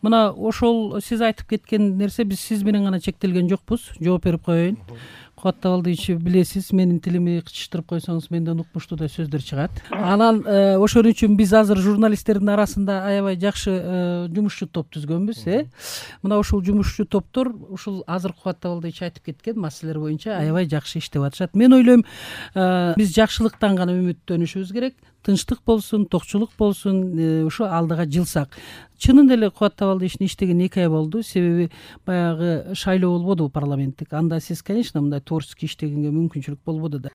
мына ошол сиз айтып кеткен нерсе биз сиз менен гана чектелген жокпуз. Жооп берип коеюн. Кубат Табалдиевич, билесиз, менин тилими кычыштырып койсоңуз менден укмуштуу да сөздөр чыгат. Анан ошон үчүн биз азыр журналисттердин арасында аябай жакшы жумушчу топ түзгөнбүз. Мына ушул жумушчу топтор ушул азыр Кубат Табалдиевич айтып кеткен маселелер боюнча аябай жакшы иштеп атышат. Мен ойлойм, биз жакшылыктан гана үмүттөнүшүбүз керек. Тынчтык болсун, токчулук болсун, ушу алдыга жылсак. Чынын эле Кубат Табалдиевичтин иштеген 2 ай болду. Себеби баягы шайлоо болбоду парламенттик. Анда сиз, конечно, мындай творческий иштегенге мүмкүнчүлүк болбоду да.